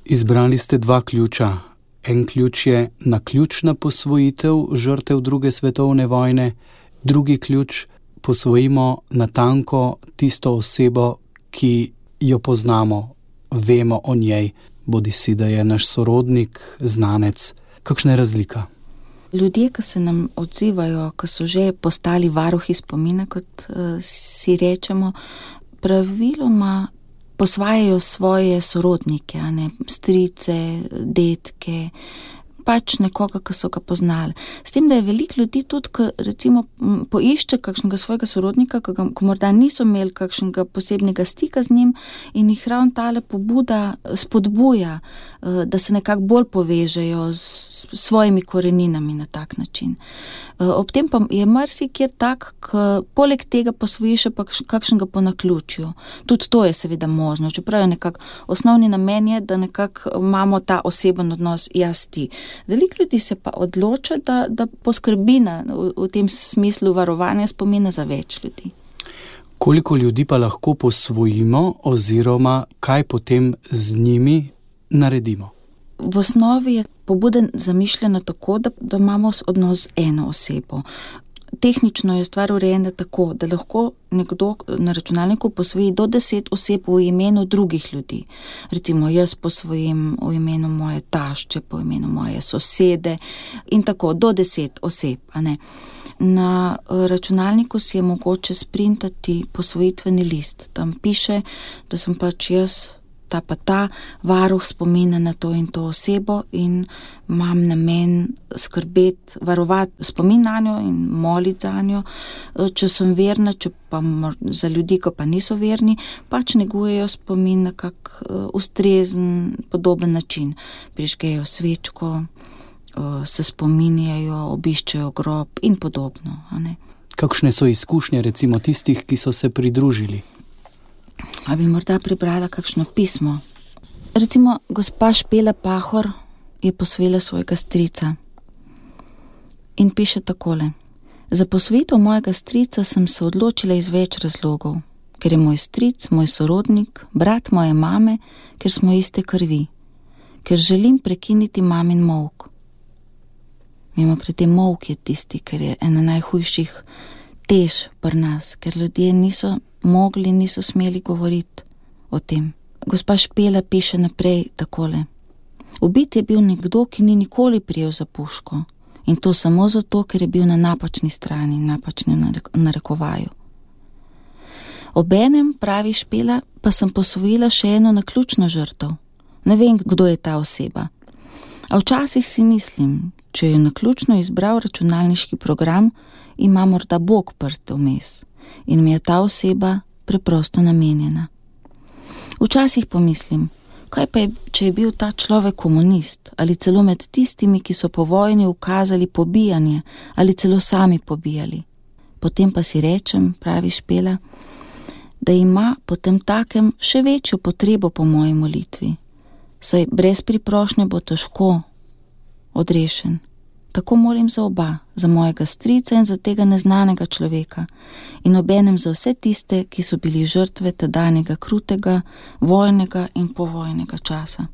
Izbrali ste dva ključa. En ključ je naključna posvojitev žrtev druge svetovne vojne, drugi ključ posvojimo natanko tisto osebo, ki jo poznamo, vemo o njej, bodisi da je naš sorodnik, znanec. Kakšna je razlika? Ljudje, ki se nam odzivajo, ki so že postali varuhi spomina, kot si rečemo, praviloma posvajajo svoje sorodnike, strice, dedke, pač nekoga, ki so ga poznali. S tem, da je veliko ljudi tudi, ki recimo poišče kakšnega svojega sorodnika, ki morda niso imeli kakšnega posebnega stika z njim in jih ravno tale pobuda spodbuja, da se nekako bolj povežejo s svojimi koreninami na tak način. Ob tem pa je marsikjer tak, ki poleg tega posvoji še pa kakšnega po naključju. Tudi to je seveda možno, čeprav je nekako osnovni namen je, da nekako imamo ta oseben odnos jaz ti. Veliko ljudi se pa odloča, da poskrbi v tem smislu varovanja spomina za več ljudi. Koliko ljudi pa lahko posvojimo oziroma kaj potem z njimi naredimo? V osnovi je pobuda zamišljena tako, da imamo odnos z eno osebo. Tehnično je stvar urejena tako, da lahko nekdo na računalniku posvoji do 10 oseb v imenu drugih ljudi. Recimo jaz posvojim v imenu moje tašče, po imenu moje sosede in tako, do 10 oseb, a ne. Na računalniku si je mogoče sprintati posvojitveni list. Tam piše, da sem pač jaz ta pa ta varuh spomina na to in to osebo in imam namen skrbeti, varovati spomin na njo in moliti za njo. Če sem verna, če pa za ljudi, ki pa niso verni, pač negujejo spomin na kak ustrezen, podoben način. Prižgejo svečko, se spominjajo, obiščejo grob in podobno. A ne? Kakšne so izkušnje recimo tistih, ki so se pridružili? A bi morda prebrala kakšno pismo. Recimo, gospa Špela Pahor je posvojila svojega strica in piše takole. Za posvojitev mojega strica sem se odločila iz več razlogov. Ker je moj stric, moj sorodnik, brat moje mame, ker smo iste krvi. Ker želim prekiniti mamin molk. Mimogrede, molk je tisti, ker je ena najhujših tež pri nas, ker ljudje niso smeli govoriti o tem. Gospa Špela piše naprej takole. Ubit je bil nekdo, ki ni nikoli prijel za puško. In to samo zato, ker je bil na napačni strani, napačni narekovaju. Obenem, pravi Špela, pa sem posvojila še eno naključno žrtev. Ne vem, kdo je ta oseba. A včasih si mislim, če je naključno izbral računalniški program, ima morda Bog prste vmes in mi je ta oseba preprosto namenjena. Včasih pomislim, kaj pa je, če je bil ta človek komunist ali celo med tistimi, ki so po vojni ukazali pobijanje ali celo sami pobijali. Potem pa si rečem, pravi Špela, da ima potem takem še večjo potrebo po moji molitvi, saj brez priprošnje bo težko odrešen. Tako molim za oba, za mojega strica in za tega neznanega človeka in obenem za vse tiste, ki so bili žrtve tedanjega krutega, vojnega in povojnega časa.